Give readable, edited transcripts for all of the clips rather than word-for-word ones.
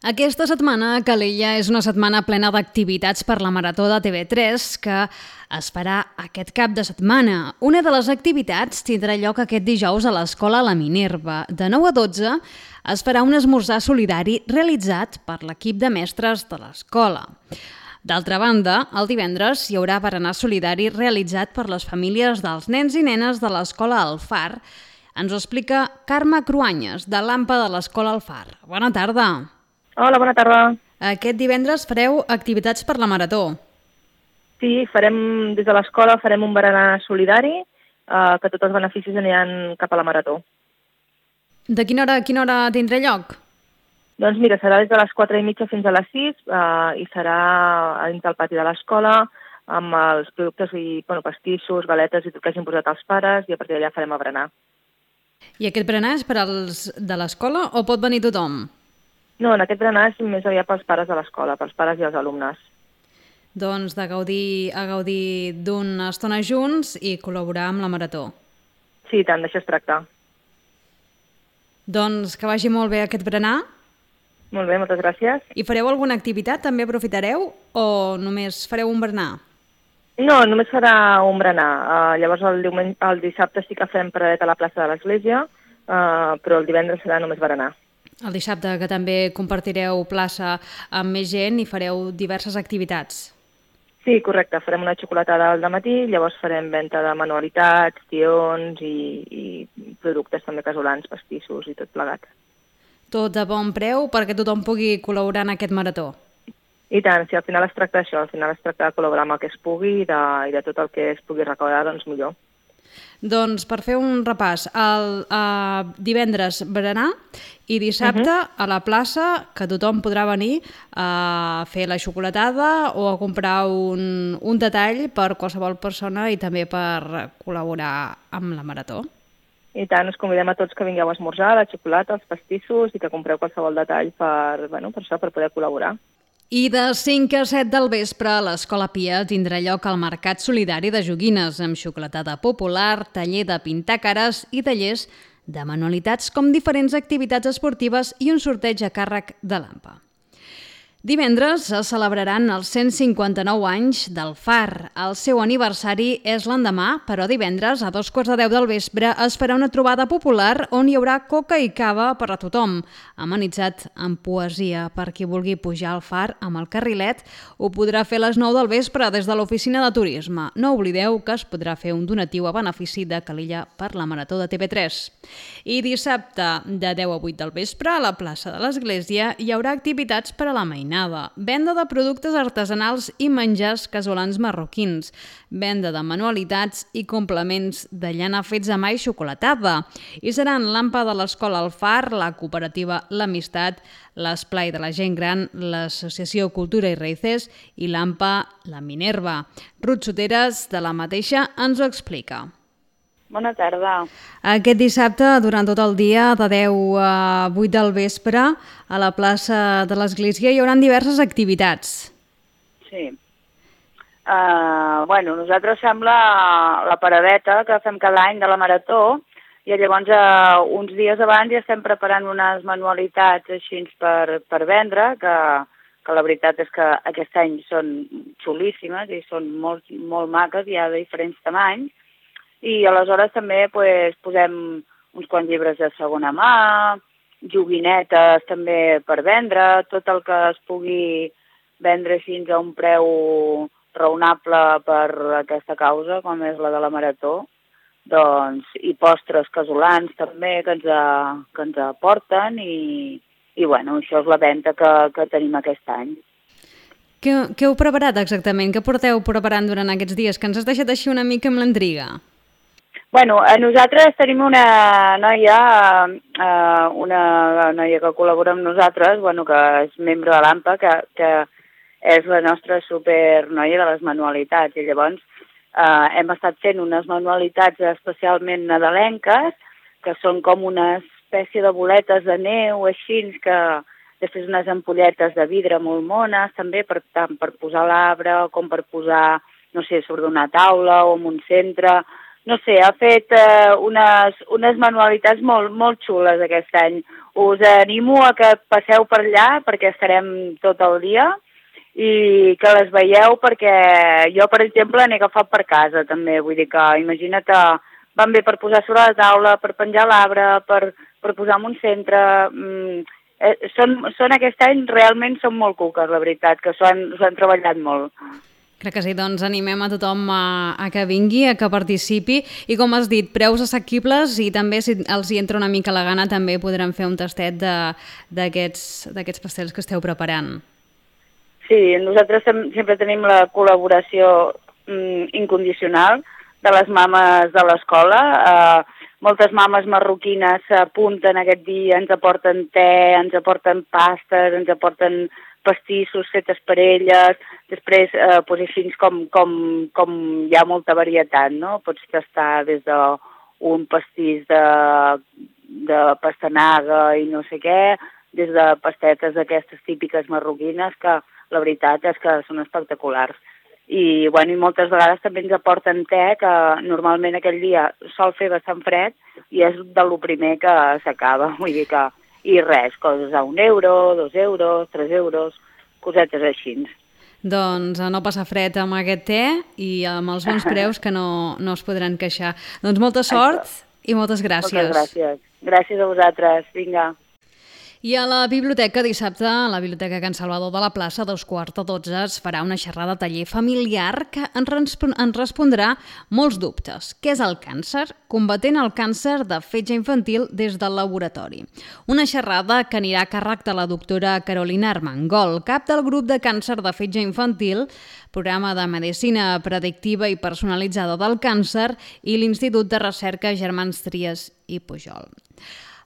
Aquesta setmana a Calella és una setmana plena d'activitats per la Marató de TV3 que es farà aquest cap de setmana. Una de les activitats tindrà lloc aquest dijous a l'Escola La Minerva. De 9 a 12 es farà un esmorzar solidari realitzat per l'equip de mestres de l'escola. D'altra banda, el divendres hi haurà berenar solidari realitzat per les famílies dels nens i nenes de l'Escola Alfar. Ens ho explica Carme Cruanyes, de l'AMPA de l'Escola Alfar. Bona tarda. Hola, bona tarda. Aquest divendres fareu activitats per la Marató. Sí, des de l'escola farem un berenar solidari, que tots els beneficis aniran cap a la Marató. De quina hora a quina hora tindrà lloc? Doncs mira, serà des de les 4:30 fins a les 6 i serà a dins del pati de l'escola amb els productes i pastissos, galetes i tot que hagin posat els pares i a partir d'allà farem el berenar. I aquest berenar és per als de l'escola o pot venir tothom? No, en aquest berenar és més aviat pels pares de l'escola, pels pares i els alumnes. Doncs de gaudir d'una estona junts i col·laborar amb la Marató. Sí, tant, d'això es tracta. Doncs que vagi molt bé aquest berenar. Molt bé, moltes gràcies. I fareu alguna activitat? També aprofitareu o només fareu un berenar? No, només serà un berenar. Llavors el dissabte sí que farem paradet a la plaça de l'església, però el divendres serà només berenar. El dissabte, que també compartireu plaça amb més gent i fareu diverses activitats. Sí, correcte. Farem una xocolatada al dematí, llavors farem venda de manualitats, tions i productes també casolans, pastissos i tot plegat. Tot a bon preu perquè tothom pugui col·laborar en aquest marató. I tant, si al final es tracta d'això, al final es tracta de col·laborar amb el que es pugui i de tot el que es pugui recaudar, doncs millor. Doncs per fer un repàs, divendres berenar i dissabte a la plaça, que tothom podrà venir a fer la xocolatada o a comprar un detall per qualsevol persona i també per col·laborar amb la Marató. I tant, us convidem a tots que vingueu a esmorzar, la xocolata, els pastissos i que compreu qualsevol detall per poder col·laborar. I de 5 a 7 del vespre, a l'Escola Pia tindrà lloc el Mercat Solidari de Joguines, amb xocolatada popular, taller de pintar cares i tallers de manualitats com diferents activitats esportives i un sorteig a càrrec de l'AMPA. Divendres es celebraran els 159 anys del Far. El seu aniversari és l'endemà, però divendres a 2:15 del vespre es farà una trobada popular on hi haurà coca i cava per a tothom, amenitzat amb poesia. Per qui vulgui pujar al Far amb el carrilet ho podrà fer a les 9 del vespre des de l'oficina de turisme. No oblideu que es podrà fer un donatiu a benefici de Calella per la Marató de TV3. I dissabte de 10 a 8 del vespre a la plaça de l'Església hi haurà activitats per a la mainada. Venda de productes artesanals i menjars casolans marroquins, venda de manualitats i complements de llana fets a mà i xocolatada. I seran l'AMPA de l'Escola Alfar, la cooperativa L'Amistat, l'Esplai de la Gent Gran, l'Associació Cultura i Raíces i l'AMPA La Minerva. Ruth Soteres, de la mateixa, ens ho explica. Bona tarda. Aquest dissabte, durant tot el dia, de 10 a 8 del vespre, a la plaça de l'Església hi haurà diverses activitats. Sí. Nosaltres fem la paradeta que fem cada any de la Marató i llavors uns dies abans ja estem preparant unes manualitats així per vendre, que la veritat és que aquest any són xulíssimes i són molt maques, hi ha de diferents tamanys. I aleshores també posem uns quants llibres de segona mà, joguinetes també per vendre, tot el que es pugui vendre fins a un preu raonable per aquesta causa, com és la de la Marató, doncs, i postres casolans també que ens aporten i això és la venda que tenim aquest any. Què heu preparat exactament? Què porteu preparant durant aquests dies? Que ens has deixat així una mica amb l'intriga. Nosaltres tenim una noia que col·labora amb nosaltres, que és membre de l'AMPA, que és la nostra supernoia de les manualitats. I llavors hem estat fent unes manualitats especialment nadalenques, que són com una espècie de boletes de neu, així, que després unes ampolletes de vidre molt mones, també tant per posar a l'arbre com per posar, sobre una taula o en un centre. Ha fet unes manualitats molt xules aquest any. us animo a que passeu per allà perquè estarem tot el dia i que les veieu perquè jo, per exemple, n'he agafat per casa també, vull dir que imagina't, van bé per posar sobre la taula, per penjar l'arbre, per posar en un centre. Són aquest any, realment són molt cuques, la veritat, que s'ho han treballat molt. Crec que sí, doncs animem a tothom a que vingui, a que participi i, com has dit, preus assequibles i també, si els hi entra una mica la gana, també podran fer un tastet d'aquests pastels que esteu preparant. Sí, nosaltres sempre tenim la col·laboració incondicional de les mames de l'escola. Moltes mames marroquines s'apunten aquest dia, ens aporten te, ens aporten pastes, ens aporten pastissos fetes per elles. Després, així com hi ha molta varietat, no? Pots tastar des d'un pastís de pastanaga i no sé què, des de pastetes d'aquestes típiques marroquines que la veritat és que són espectaculars. I moltes vegades també ens aporten te, que normalment aquell dia sol fer bastant fred i és de lo primer que s'acaba. Vull dir que, i res, coses a 1 euro, 2 euros, 3 euros, cosetes així. Doncs a no passar fred amb aquest te i amb els bons preus que no es podran queixar. Doncs molta sort i moltes gràcies. Moltes gràcies. Gràcies a vosaltres. Vinga. I a la biblioteca dissabte, a la Biblioteca Can Salvador de la Plaça, a 2:15 es farà una xerrada taller familiar que ens respondrà molts dubtes. Què és el càncer? Combatent el càncer de fetge infantil des del laboratori. Una xerrada que anirà a càrrec de la doctora Carolina Armengol, cap del grup de càncer de fetge infantil, programa de medicina predictiva i personalitzada del càncer i l'Institut de Recerca Germans Trias i Pujol.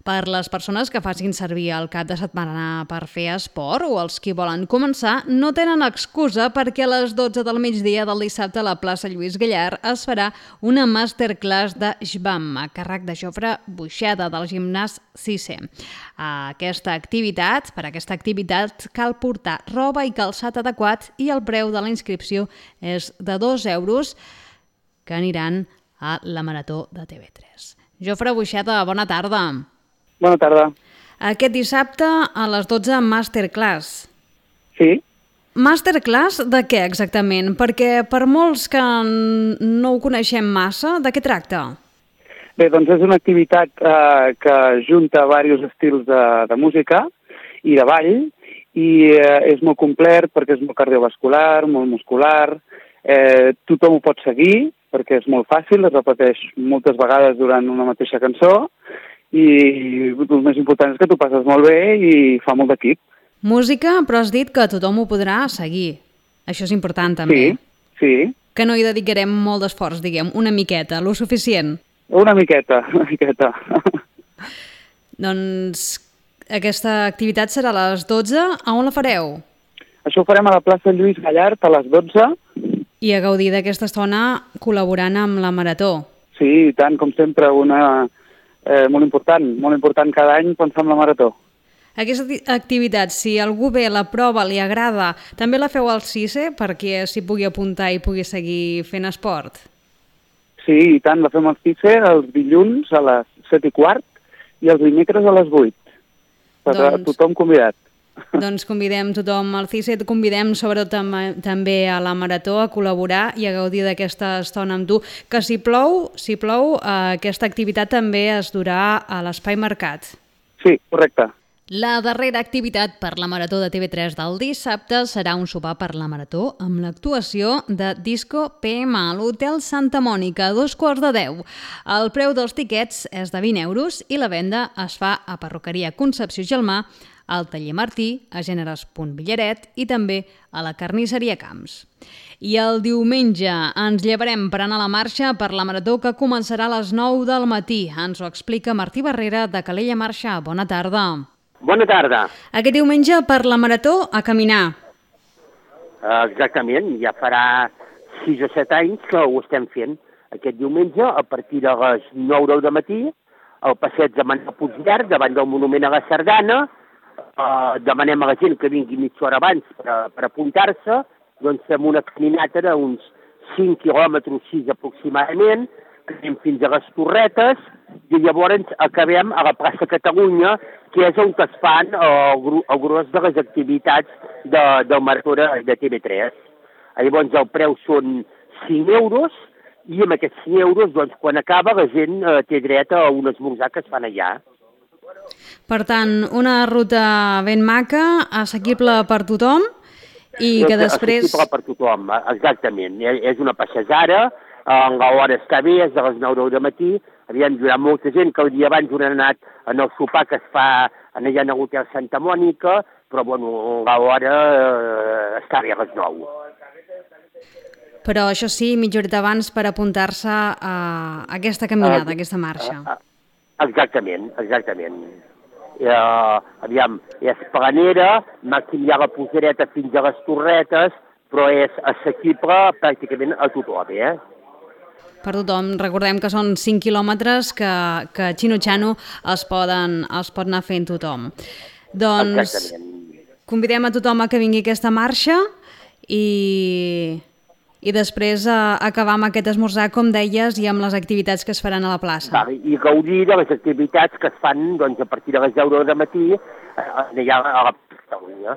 Per les persones que facin servir el cap de setmana per fer esport o els qui volen començar, no tenen excusa perquè a les 12 del migdia del dissabte a la plaça Lluís Gallard es farà una masterclass de Shbam a càrrec de Jofre Buixeda del gimnàs 6è. Per aquesta activitat cal portar roba i calçat adequat i el preu de la inscripció és de 2 euros que aniran a la Marató de TV3. Jofre Buixeda, bona tarda. Bona tarda. Aquest dissabte a les 12, masterclass. Sí. Masterclass de què exactament? Perquè per molts que no ho coneixem massa, de què tracta? Bé, doncs és una activitat que junta diversos estils de música i de ball i és molt complet perquè és molt cardiovascular, molt muscular. Tothom ho pot seguir perquè és molt fàcil, es repeteix moltes vegades durant una mateixa cançó i el més important és que t'ho passes molt bé i fa molt d'equip. Música, però has dit que tothom ho podrà seguir. Això és important també. Sí. Que no hi dedicarem molt d'esforç, diguem, una miqueta, lo suficient. Una miqueta. Doncs aquesta activitat serà a les 12. A on la fareu? Això ho farem a la plaça Lluís Gallard a les 12. I a gaudir d'aquesta estona col·laborant amb la Marató. Sí, i tant, com sempre, molt important cada any pensar en la Marató. Aquesta activitat, si algú ve, la prova, li agrada, també la feu al CICE perquè s'hi pugui apuntar i pugui seguir fent esport? Sí, i tant, la fem al CICE els dilluns a les 7:15 i els dimecres a les 8. Tothom convidat. Doncs convidem tothom al CICE, convidem sobretot també a la Marató a col·laborar i a gaudir d'aquesta estona amb tu. Que si plou, aquesta activitat també es durà a l'Espai Mercat. Sí, correcte. La darrera activitat per la Marató de TV3 del dissabte serà un sopar per la Marató amb l'actuació de Disco PM a l'Hotel Santa Mònica a 9:45. El preu dels tiquets és de 20 euros i la venda es fa a Perruqueria Concepció Gelmà, al Taller Martí, a Gèneres.Villaret i també a la Carnisseria Camps. I el diumenge ens llevarem per anar a la marxa per la Marató que començarà a les 9 del matí. Ens ho explica Martí Barrera de Calella Marxa. Bona tarda. Bona tarda. Aquest diumenge per la Marató a caminar. Exactament, ja farà 6 o 7 anys que ho estem fent. Aquest diumenge, a partir de les 9 del matí, al passeig de Manuel Puigverd, davant del Monument a la Sardana, demanem a la gent que vingui mitja hora abans per apuntar-se, doncs fem una caminata d'uns 5 quilòmetres, 6 aproximadament, anem fins a les Torretes i llavors acabem a la plaça Catalunya, que és on es fan el gros de les activitats del Marató de TV3. Llavors el preu són 5 euros i amb aquests 5 euros, doncs, quan acaba, la gent té dret a un esmorzar que es fan allà. Per tant, una ruta ben maca, assequible per tothom i que després... Assequible per tothom, exactament. És una passejara, l'hora està bé, és de les 9 del matí. Hi ha molta gent que el dia abans han anat en el sopar que es fa allà a l'Hotel Santa Mònica, però bueno, l'hora està bé a les 9. Però això sí, mitja horeta abans per apuntar-se a aquesta caminada, a aquesta marxa. Exactament. Aviam, és planera, màxim hi ha la posereta fins a les Torretes, però és assequible pràcticament a tothom, Per tothom. Recordem que són 5 quilòmetres que xino-xano es pot anar fent tothom. Doncs convidem a tothom a que vingui aquesta marxa i després acabar amb aquest esmorzar, com deies, i amb les activitats que es faran a la plaça. I gaudir de les activitats que es fan a partir de les 10 del matí allà a la Catalunya.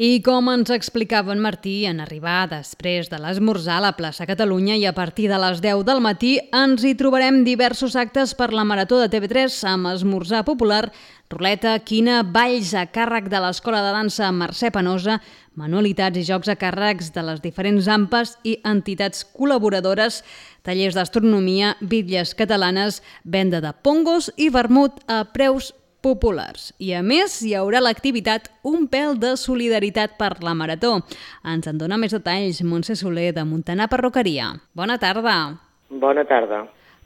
I com ens explicava en Martí, en arribar després de l'esmorzar a la plaça Catalunya i a partir de les 10 del matí ens hi trobarem diversos actes per la Marató de TV3 amb esmorzar popular, ruleta, quina, balls a càrrec de l'Escola de Dansa Mercè Penosa, manualitats i jocs a càrrecs de les diferents AMPAs i entitats col·laboradores, tallers d'astronomia, bitlles catalanes, venda de pongos i vermut a preus populars. I a més hi haurà l'activitat Un pèl de solidaritat per la Marató. Ens en dona més detalls Montse Soler de Montanar Perruqueria. Bona tarda. Bona tarda.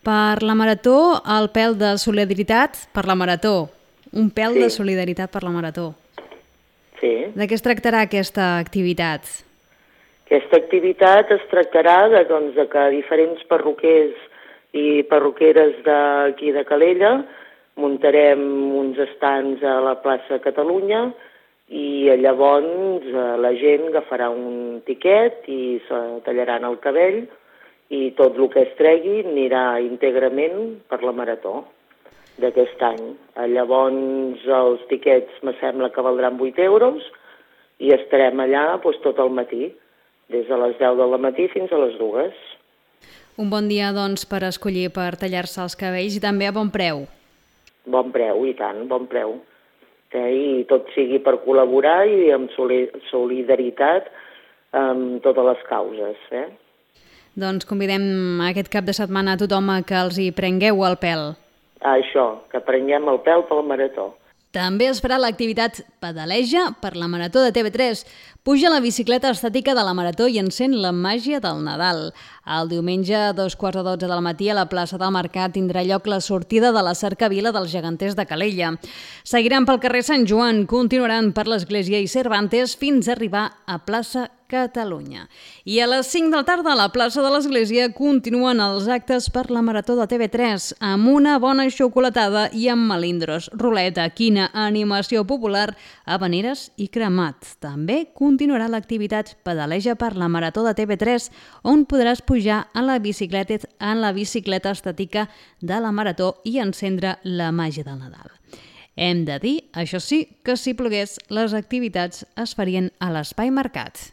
Per la Marató, el pèl de solidaritat per la Marató. Un pèl de solidaritat per la Marató. Sí. De què es tractarà aquesta activitat? Aquesta activitat es tractarà de que diferents perruquers i perruqueres d'aquí de Calella muntarem uns estants a la plaça Catalunya i llavors la gent agafarà un tiquet i se tallaran el cabell i tot el que es tregui anirà íntegrament per la Marató d'aquest any. Llavors els tiquets me sembla que valdran 8 euros i estarem allà tot el matí, des de les 10 del matí fins a les 2. Un bon dia, doncs, per escollir per tallar-se els cabells i també a bon preu. Bon preu, i tant, bon preu. I tot sigui per col·laborar i amb solidaritat amb totes les causes. Doncs convidem aquest cap de setmana a tothom a que els hi prengueu el pèl. Això, que prenguem el pèl pel Marató. També es farà l'activitat Pedaleja per la Marató de TV3. Puja la bicicleta estàtica de la Marató i encén la màgia del Nadal. El diumenge a 2:15 del matí a la plaça del Mercat tindrà lloc la sortida de la cercavila dels geganters de Calella. Seguiran pel carrer Sant Joan, continuaran per l'Església i Cervantes fins a arribar a plaça Catalunya. I a les 5 de la tarda a la plaça de l'Església continuen els actes per la Marató de TV3 amb una bona xocolatada i amb melindros, ruleta, quina, animació popular, habaneres i cremat. També continuarà l'activitat Pedaleja per la Marató de TV3 on podràs pujar en la bicicleta estàtica de la Marató i encendre la màgia del Nadal. Hem de dir, això sí, que si plogués, les activitats es farien a l'Espai Mercat.